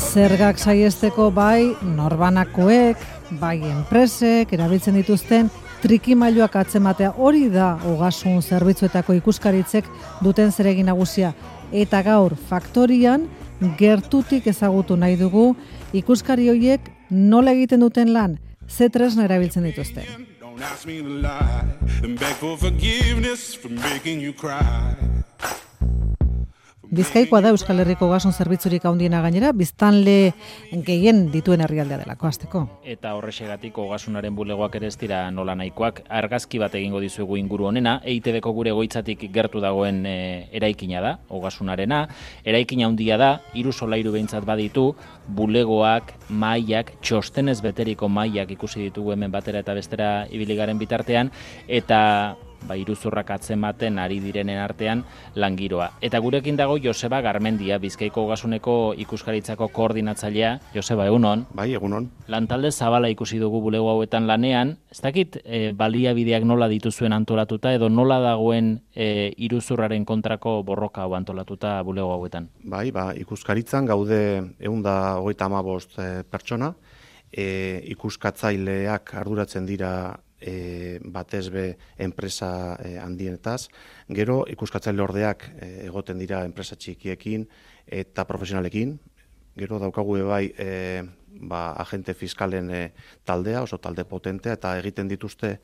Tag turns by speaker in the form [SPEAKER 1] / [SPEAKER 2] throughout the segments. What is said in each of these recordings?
[SPEAKER 1] Zergak saihesteko bai norbanakoek, bai enpresek erabiltzen dituzten trikimailuak atzematea, hori da ogasun zerbitzuetako ikuskaritzek duten zeregin nagusia. Eta gaur faktorian gertutik ezagutu nahi dugu ikuskari horiek nola egiten duten lan, ze tresna erabiltzen dituzten. Bizkaikoa da Euskal Herriko ogasun zerbitzurik handiena gainera, biztanle gehien dituen herrialdea delako hasteko.
[SPEAKER 2] Eta horrexegatik ogasunaren bulegoak ere ez dira nola nahikoak. Argazki bat egingo dizuegu inguru honena, EITB-ko gure egoitzatik gertu dagoen eraikina da, ogasunarena. Eraikina handia da, 3 solairu behintzat baditu, bulegoak, mailak, txostenez beteriko mailak ikusi ditugu hemen batera eta bestera ibili garen bitartean, eta iruzurrak atzematen ari direnen artean langiroa. Eta gurekin dago Joseba Garmendia, Bizkaiko ogasuneko ikuskaritzako koordinatzailea. Joseba, egunon?
[SPEAKER 3] Bai, egunon.
[SPEAKER 2] Lantalde zabala ikusi dugu bulego hauetan lanean. Ez dakit baliabideak nola dituzuen antolatuta edo nola dagoen iruzurraren kontrako borroka hau antolatuta bulego hauetan?
[SPEAKER 3] Bai, ikuskaritzan gaude 155 pertsona, ikuskatzaileak arduratzen dira batez be enpresa handienetaz, gero ikuskatzaile ordeak egoten dira enpresa txikiekin eta profesionalekin, gero daukagu bai agente fiskalen taldea, oso talde potentea, eta egiten dituzte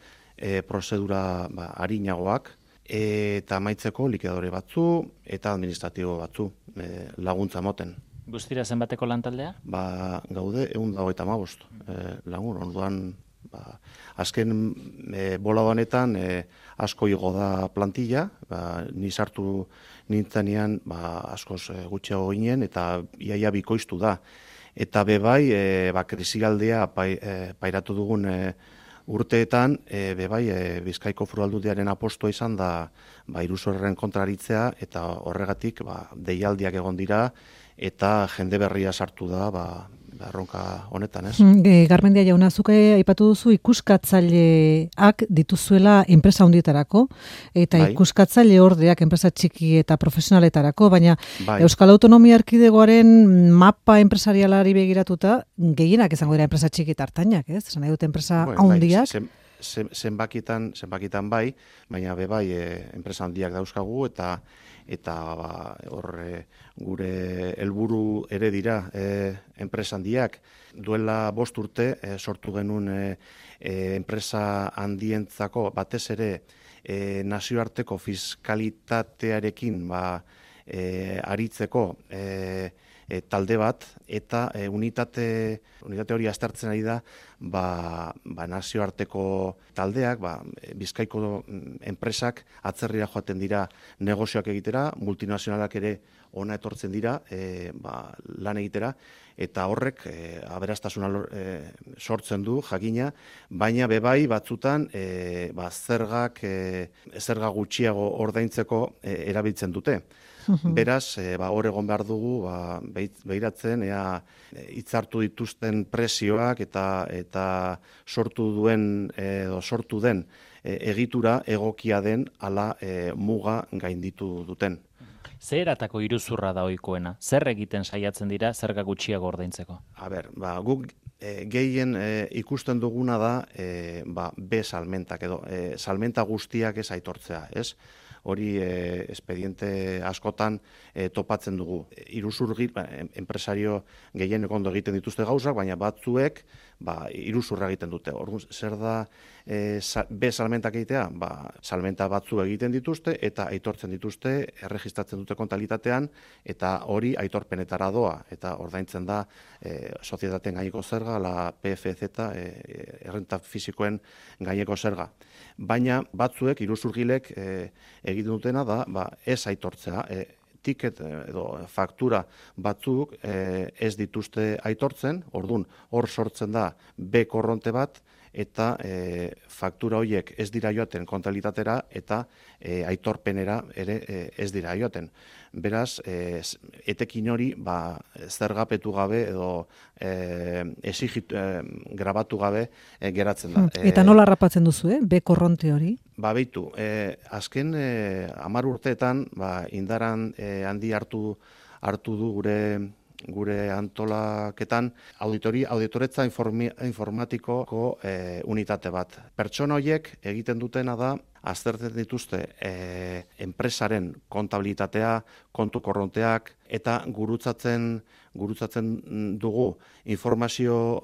[SPEAKER 3] prozedura arinagoak, eta amaitzeko likidadore batzu eta administratibo batzu laguntza moten.
[SPEAKER 2] Guztira zenbateko lantaldea?
[SPEAKER 3] Gaude 155 lagun, orduan azken bolada honetan asko igo da plantilla, ni sartu nintzenean askoz gutxiago ginen eta iaia bikoiztu da. Eta bebai, krisialdea pairatu dugun urteetan, Bizkaiko Foru Aldundiaren apostua izan da iruzurraren kontraritzea, eta horregatik deialdiak egon dira eta jende berria sartu da erronka honetan, ez?
[SPEAKER 1] Garmendia jauna, zuk aipatu duzu ikuskatzaileak dituzuela enpresa handietarako, eta ikuskatzaile ordeak enpresa txiki eta profesionaletarako, baina Euskal Autonomia Erkidegoaren mapa enpresarialari begiratuta, gehienak izango dira enpresa txiki eta hartainak, ez? Esan nahi dut enpresa handiak.
[SPEAKER 3] Zenbakitan bai, baina enpresa handiak dauzkagu, eta gure helburu ere dira enpresa handiak. Duela 5 urte sortu genuen enpresa handientzako batez ere nazioarteko fiskalitatearekin aritzeko talde bat, eta unitate hori aztertzen ari da nazioarteko taldeak, Bizkaiko enpresak atzerrira joaten dira negozioak egitera, multinazionalak ere ona etortzen dira lan egitera, eta horrek aberastasuna sortzen du jakina, baina bebai batzutan zerga gutxiago ordaintzeko erabiltzen dute. Beraz, hor egon behar dugu behiratzen, hitzartu dituzten presioak eta sortu den egitura egokia den ala muga gainditu duten.
[SPEAKER 2] Zer eratako iruzurra da ohikoena? Zer egiten saiatzen dira zerga gutxiago ordaintzeko?
[SPEAKER 3] Guk gehien ikusten duguna da B-salmentak edo salmenta guztiak ez aitortzea, ez? Hori espediente askotan topatzen dugu. Iruzur enpresario gehien ondo egiten dituzte gauzak, baina batzuek iruzurra egiten dute. Zer da B-salmentak egitea? Salmenta batzu egiten dituzte eta aitortzen dituzte, erregistratzen dute kontalitatean, eta hori aitorpenetara doa, eta ordaintzen da sozietateen gaineko zerga, la PFZ, errenta fisikoen gaineko zerga. Baina batzuek, iruzurgilek egiten dutena da ez aitortzea. Tiket edo faktura batzuk ez dituzte aitortzen, orduan hor sortzen da B korronte bat, eta faktura horiek ez dira joaten kontabilitatera eta aitorpenera ere ez dira joaten. Beraz, etekin hori zergapetu gabe edo grabatu gabe geratzen da.
[SPEAKER 1] Eta nola harrapatzen duzu, B korronte hori?
[SPEAKER 3] Beitu, azken 10 urteetan indaran handi hartu du gure gure antolaketan auditoretza informatikoko unitate bat. Pertsona horiek egiten dutena da aztertzen dituzte enpresaren kontabilitatea, kontu korronteak eta gurutzatzen dugu informazio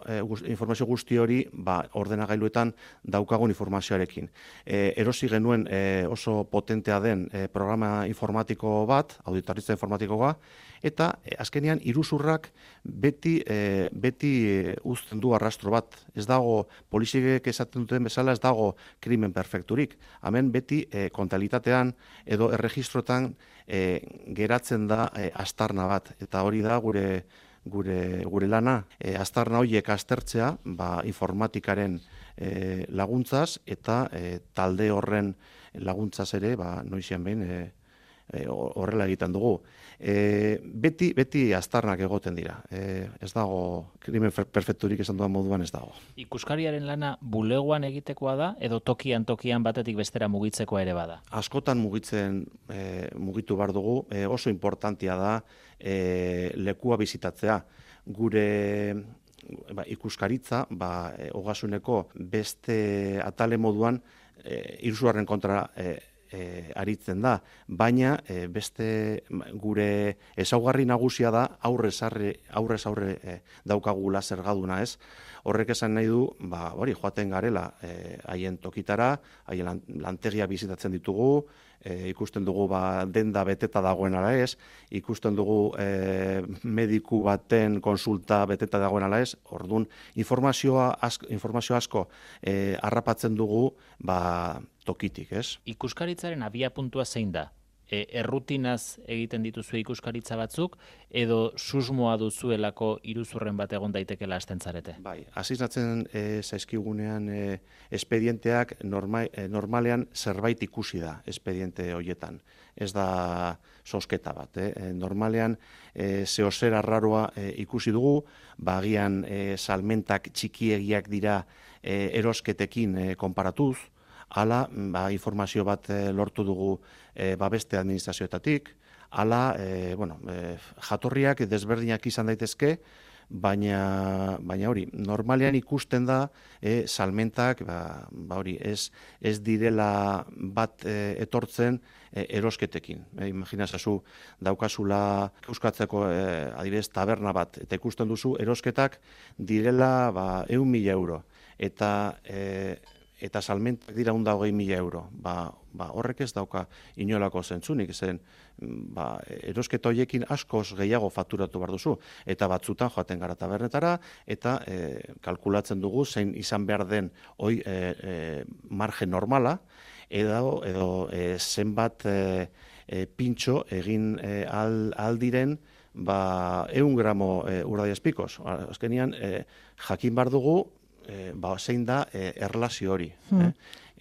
[SPEAKER 3] guzti hori ordenagailuetan daukagun informazioarekin. Erosi genuen oso potentea den programa informatiko bat, auditoritza informatikoa, eta azkenean iruzurrak beti uzten du arrastro bat. Ez dago, poliziek esaten duten bezala, ez dago krimen perfekturik. Hemen beti kontabilitatean edo erregistroetan geratzen da aztarna bat, eta hori da gure lana. Aztarna horiek aztertzea informatikaren laguntzaz eta talde horren laguntzaz ere noizean behin horrela egiten dugu. Beti aztarnak egoten dira. Ez dago, krimen perfekturik esan duan moduan ez dago.
[SPEAKER 2] Ikuskariaren lana bulegoan egitekoa da, edo tokian batetik bestera mugitzekoa ere bada?
[SPEAKER 3] Askotan mugitu behar dugu, oso importantia da lekua bizitatzea. Gure ikuskaritza, ogasuneko beste atale moduan iruzurraren kontra aritzen da, baina beste gure ezaugarri nagusia da aurrez aurre daukagula zergaduna, ez? Horrek esan nahi du, hori joaten garela haien tokitara, haien lantegia bizitatzen ditugu, ikusten dugu denda beteta dagoen ala ez, ikusten dugu mediku baten konsulta beteta dagoen ala ez, orduan informazio asko harrapatzen dugu tokitik, ez?
[SPEAKER 2] Ikuskaritzaren abiapuntua zein da? Errutinaz egiten dituzue ikuskaritza batzuk, edo susmoa duzuelako iruzurren bat egon daitekela hasten zarete?
[SPEAKER 3] Bai, asiznatzen zaizkigunean espedienteak normalean zerbait ikusi da espediente horietan. Ez da sosketa bat. Normalean zehozer arraroa ikusi dugu, agian salmentak txikiegiak dira erosketekin konparatuz, hala informazio bat lortu dugu beste administrazioetatik, hala jatorriak desberdinak izan daitezke, baina hori, normalean ikusten da salmentak hori ez direla bat etortzen erosketekin. Imaginazazu daukazula euskatzeko adibidez taberna bat, eta ikusten duzu erosketak direla 100.000 euro, eta salmentak dira 120.000 euro. Horrek ez dauka inolako zentzunik, zen erosketa horiekin askoz gehiago fakturatu behar duzu, eta batzutan joaten gara tabernetara, eta kalkulatzen dugu zein izan behar den margen normala, edo zenbat pintxo egin aldiren 100 gramo urdaiazpikoz. Azkenean, jakin behar dugu, zein da erlazio hori.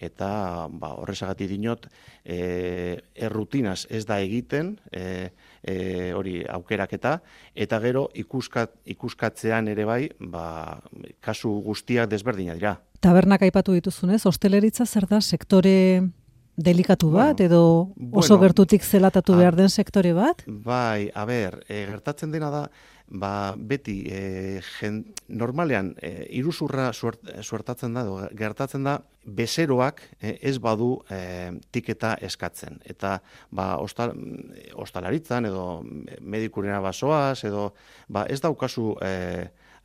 [SPEAKER 3] Eta horrezagatik dinot, errutinaz ez da egiten hori aukeraketa, eta gero ikuskatzean ere bai, kasu guztiak desberdina dira.
[SPEAKER 1] Tabernak aipatu dituzunez, hosteleritza zer da sektore delikatu bat, edo oso gertutik zelatatu behar den sektore bat?
[SPEAKER 3] Bai, gertatzen dena da, beti normalean iruzurra suertatzen da, gertatzen da, bezeroak ez badu tiketa eskatzen. Eta ostalaritzan edo medikurena basoaz, edo ez daukazu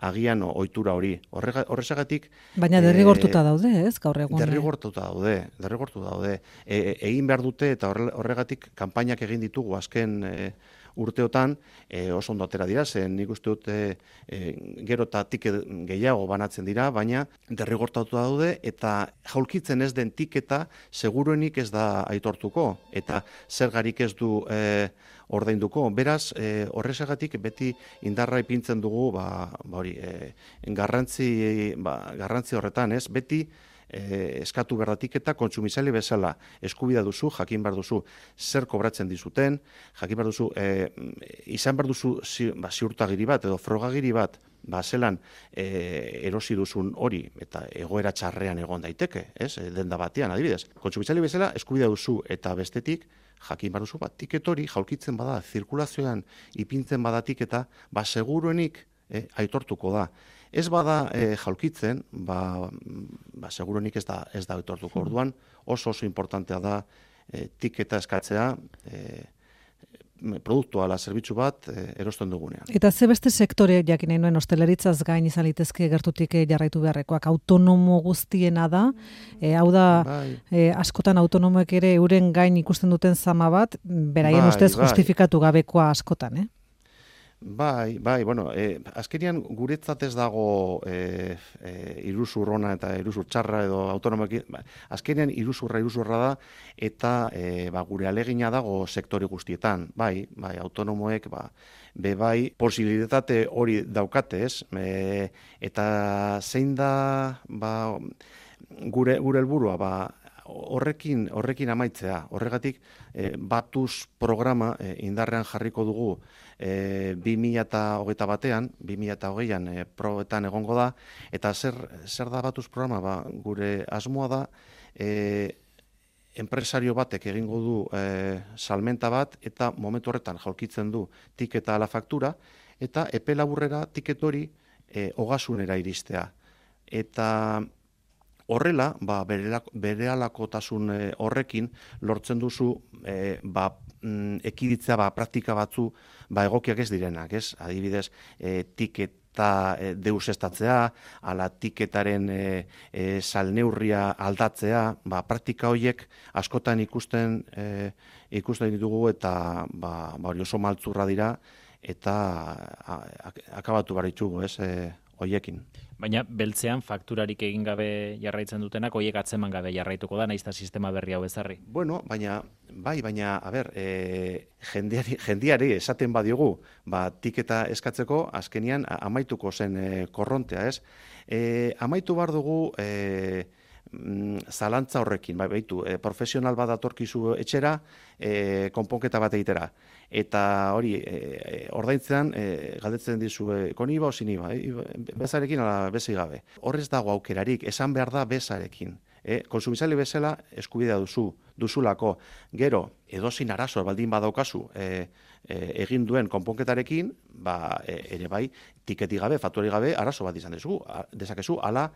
[SPEAKER 3] agian ohitura hori. Horrezagatik...
[SPEAKER 1] Baina derrigortuta daude, ez, gaur egun?
[SPEAKER 3] Derrigortuta daude. Egin behar dute, eta horregatik kanpainak egin ditugu azken urteotan oso ondo atera dira, zen nik uste dut gero eta tiket gehiago banatzen dira, baina derrigortatu daude, eta jaulkitzen ez den tiketa seguruenik ez da aitortuko, eta zergarik ez du ordainduko. Beraz, horrezagatik beti indarra ipintzen dugu, garrantzi horretan, ez? Beti eskatu berdatik eta kontsumizaile bezala eskubidea duzu, jakin behar duzu zer kobratzen dizuten, jakin behar duzu, izan behar duzu ziurtagiri bat edo frogagiri bat, zelan erosi duzun hori eta egoera txarrean egon daiteke, denda batean adibidez. Kontsumizaile bezala eskubidea duzu eta bestetik jakin behar duzu tiket hori jaulkitzen bada, zirkulazioan ipintzen badatik eta seguruenik aitortuko da. Ez bada jaulkitzen, seguruenik ez da aitortuko. Orduan oso importantea da tiketa eskatzea, produktua ala zerbitzu bat erosten dugunean.
[SPEAKER 1] Eta ze beste sektore jakin nahi nuen osteleritzaz gain izan litezke gertutik jarraitu beharrekoak autonomo guztiena da, hau da askotan autonomoek ere euren gain ikusten duten zama bat, beraien ustez justifikatu gabekoa askotan,
[SPEAKER 3] bueno, azkenian guretzat ez dago iruzur ona eta iruzur txarra edo autonomoekin, azkenian iruzurra da eta gure alegina dago sektore guztietan, autonomoek bai posibilitate hori daukate, eta zein da gure helburua, horrekin amaitzea. Horregatik Batuz programa indarrean jarriko dugu 2021an, 2020an probetan egongo da, eta zer da Batuz programa? Gure asmoa da enpresario batek egingo du salmenta bat eta momentu horretan jaulkitzen du tiketa ala faktura eta epe laburrera tiket hori ogasunera iristea. Eta horrela, berehalakotasun horrekin lortzen duzu ekiditzea praktika batzu egokiak ez direnak, Adibidez, tiketa deusestatzea, ala tiketaren salneurria aldatzea, praktika horiek askotan ikusten ditugu eta hori oso maltzurra dira eta akabatu behar ditugu, hoiekin.
[SPEAKER 2] Baina beltzean fakturarik egin gabe jarraitzen dutenak, hoiek atzeman gabe jarraituko da, naizta sistema berri hau ezarri.
[SPEAKER 3] Bueno, baina, jendiari esaten badiogu, tiketa eskatzeko, azkenian amaituko zen korrontea, amaitu behar dugu zalantza horrekin, profesional bat datorkizu etxera, konponketa bat egitera. Eta hori, ordaintzean, galdetzen dizu, koniba o siniba, bezarekin ala bezi gabe. Horrez dago aukerarik, esan behar da bezarekin. Konsumizaile bezala eskubidea duzulako. Gero, edozin arazo baldin badaukazu egin duen konponketarekin, ere bai, tiketi gabe, faktuari gabe, arazo bat izan dezakezu, ala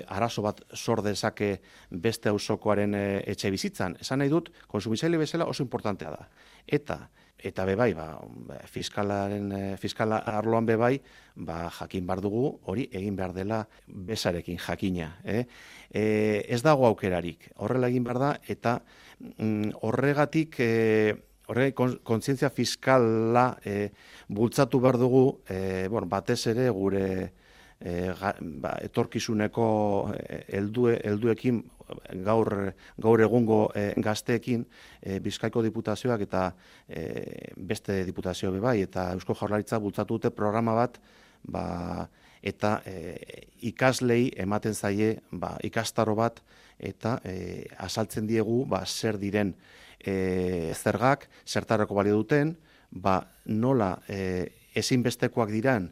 [SPEAKER 3] arazo bat sor dezake beste auzokoaren etxe bizitzan. Esan nahi dut, konsumizaile bezala oso importantea da. Eta bebai, fiskal arloan bebai, jakin behar dugu, hori egin behar dela bezarekin jakina. Ez dago aukerarik, horrela egin behar da, eta horregatik kontzientzia fiskala bultzatu behar dugu, batez ere gure etorkizuneko helduekin, gaur egungo gazteekin, Bizkaiko Diputazioak eta beste diputazio bebai, eta Eusko Jaurlaritza bultzatu dute programa bat, eta ikaslei ematen zaie ikastaro bat, eta azaltzen diegu zer diren zergak, zertarako balio duten, nola ezinbestekoak diran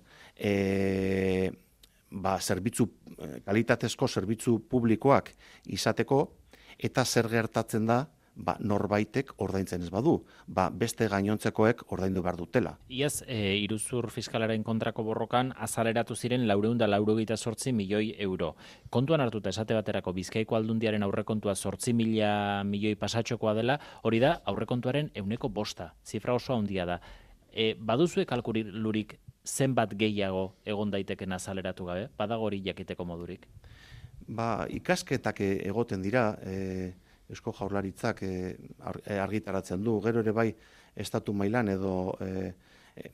[SPEAKER 3] kalitatezko zerbitzu publikoak izateko, eta zer gertatzen da norbaitek ordaintzen ez badu, beste gainontzekoek ordaindu behar dutela.
[SPEAKER 2] Iaz, iruzur fiskalaren kontrako borrokan azaleratu ziren 498 milioi euro. Kontuan hartuta esate baterako Bizkaiko Aldundiaren aurrekontua 8.000 milioi pasatxokoa dela, hori da aurrekontuaren 1/5, zifra oso handia da. Baduzue kalkulurik zenbat gehiago egon daiteken azaleratu gabe? Badago hori jakiteko modurik?
[SPEAKER 3] Ikasketak egoten dira, Eusko Jaurlaritzak argitaratzen du, gero ere bai estatu mailan edo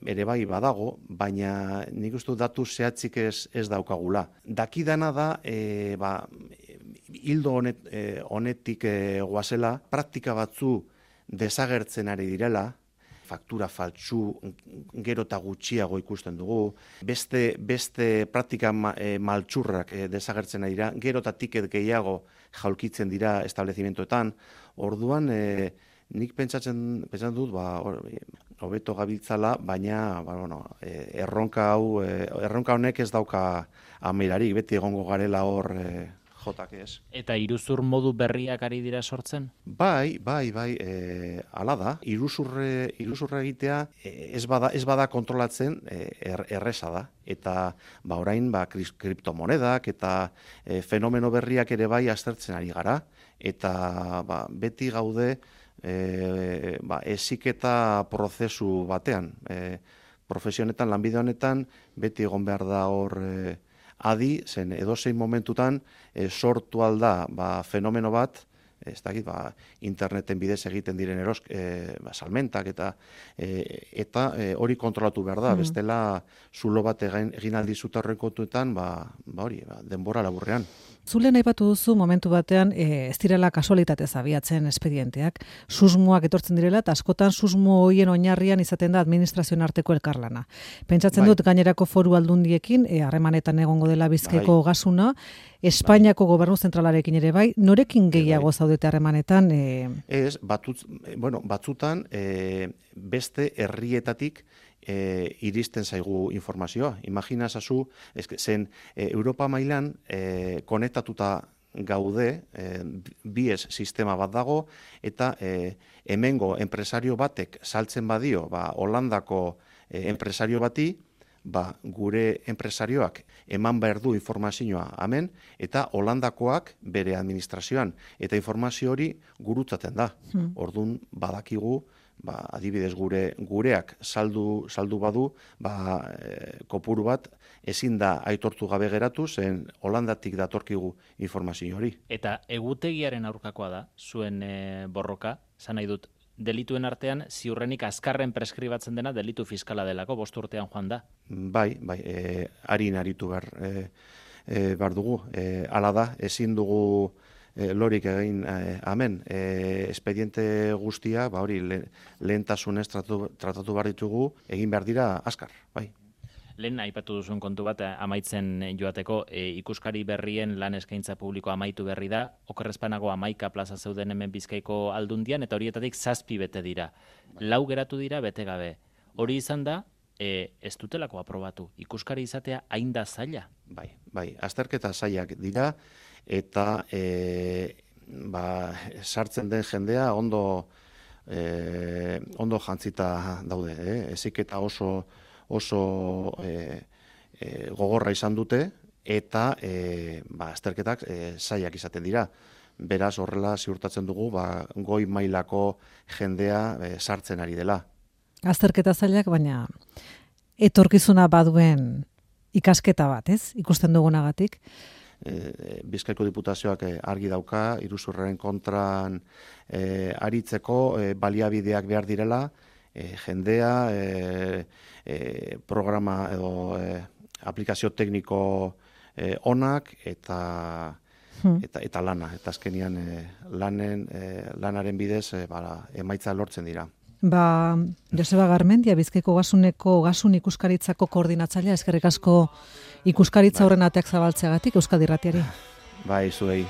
[SPEAKER 3] ere bai badago, baina nik uste datu zehatzik ez daukagula. Dakidana da, hildo honetik goazela, praktika batzu desagertzen ari direla, faktura faltsu gero eta gutxiago ikusten dugu, beste praktika maltsurrak desagertzen dira, gero eta tiket gehiago jaulkitzen dira establezimentoetan, orduan nik pentsatzen dut, hobeto gabiltzala, baina erronka honek ez dauka amaierarik, beti egongo garela hor jotak ez.
[SPEAKER 2] Eta iruzur modu berriak ari dira sortzen?
[SPEAKER 3] Bai, hala da. Iruzurra egitea ez bada kontrolatzen erresa da. Eta orain kriptomonedak eta fenomeno berriak ere bai aztertzen ari gara. Eta beti gaude heziketa prozesu batean. Profesionetan, lanbide honetan, beti egon behar da hor adi, zen edozein momentutan sortu alda fenomeno bat, ez dakit, interneten bidez egiten diren salmentak eta hori kontrolatu behar da, bestela zulo bat egin aldizut horren kontuetan, denbora laburrean.
[SPEAKER 1] Zulen aipatu duzu momentu batean ez direla kasualitatez abiatzen espedienteak, susmoak etortzen direla eta askotan susmo horien oinarrian izaten da administrazioen arteko elkarlana. Pentsatzen dut gainerako foru aldundiekin harremanetan egongo dela Bizkaiko gasuna, Espainiako gobernu zentralarekin ere bai, norekin gehiago zaudete harremanetan?
[SPEAKER 3] Ez, batzutan beste herrietatik iristen zaigu informazioa. Imagina zazu, zen Europa mailan konektatuta gaude, bies sistema bat dago, eta hemengo enpresario batek saltzen badio, Holandako enpresario bati, gure enpresarioak eman behar du informazioa hemen, eta Holandakoak bere administrazioan, eta informazio hori gurutzaten da. Orduan badakigu, adibidez gureak saldu badu, kopuru bat ezin da aitortu gabe geratu, zen Holandatik datorkigu informazio hori.
[SPEAKER 2] Eta egutegiaren aurkakoa da, zuen borroka, zan nahi dut, delituen artean ziurrenik azkarren preskribatzen dena delitu fiskala delako, 5 urtean joan da.
[SPEAKER 3] Bai, harin aritu behar dugu. Hala da, ezin dugu lorik egin hemen. Espediente guztia, hori lehentasunez tratatu behar ditugu, egin behar dira azkar, bai.
[SPEAKER 2] Lehen aipatu duzuen kontu bat, amaitzen joateko, ikuskari berrien lan eskaintza publiko amaitu berri da, okerrezpanago 11 plaza zeuden hemen Bizkaiko aldundian, eta horietatik 7 bete dira. 4 geratu dira bete gabe. Hori izan da, ez dutelako aprobatu. Ikuskari izatea hain da zaila?
[SPEAKER 3] Bai, azterketa zailak dira, eta sartzen den jendea ondo jantzita daude. Heziketa oso gogorra izan dute, eta azterketak zailak izaten dira. Beraz, horrela ziurtatzen dugu, goi mailako jendea sartzen ari dela.
[SPEAKER 1] Azterketa zailak, baina etorkizuna baduen ikasketa bat, ez? Ikusten dugunagatik.
[SPEAKER 3] Bizkaiko Diputazioak argi dauka, iruzurraren kontran aritzeko baliabideak behar direla, jendea, programa edo aplikazio tekniko onak eta lana. Eta azkenian lanaren bidez emaitza lortzen dira.
[SPEAKER 1] Joseba Garmendia, Bizkaiko gasuneko gasun ikuskaritzako koordinatzailea, eskerrik asko ikuskaritza horren ateak zabaltzeagatik Euskadi Irratiari.
[SPEAKER 3] Bai, zuei.